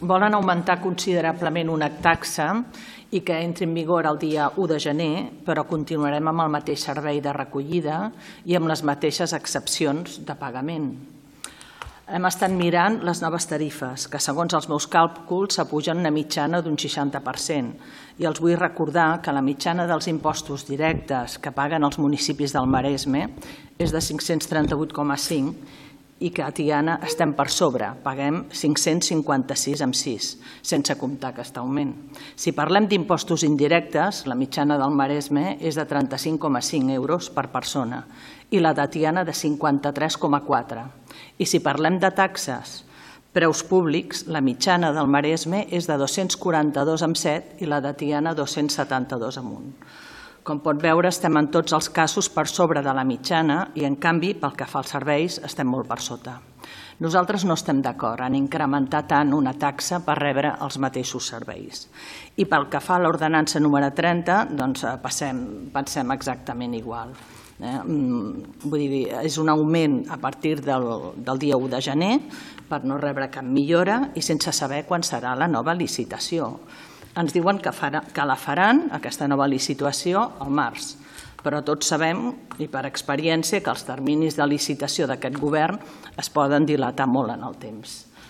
Volen augmentar considerablement una taxa i que entri en vigor el dia 1 de gener, però continuarem amb el mateix servei de recollida i amb les mateixes excepcions de pagament. Hem estat mirant les noves tarifes, que segons els meus càlculs s'apugen una mitjana d'un 60%. I els vull recordar que la mitjana dels impostos directes que paguen els municipis del Maresme és de 538,5 i que a Tiana estem per sobre, paguem 556,6, sense comptar aquest augment. Si parlem d'impostos indirectes, la mitjana del Maresme és de 35,5 euros per persona i la de Tiana de 53,4. I si parlem de taxes, preus públics, la mitjana del Maresme és de 242,7 i la de Tiana 272,1. Com pot veure, estem en tots els casos per sobre de la mitjana i, en canvi, pel que fa als serveis, estem molt per sota. Nosaltres no estem d'acord en incrementar tant una taxa per rebre els mateixos serveis. I pel que fa a l'ordenança número 30, doncs pensem exactament igual. Vull dir, és un augment a partir del dia 1 de gener per no rebre cap millora i sense saber quan serà la nova licitació. Ens diuen que la faran, aquesta nova licitació, al març, però tots sabem, i per experiència, que els terminis de licitació d'aquest govern es poden dilatar molt en el temps.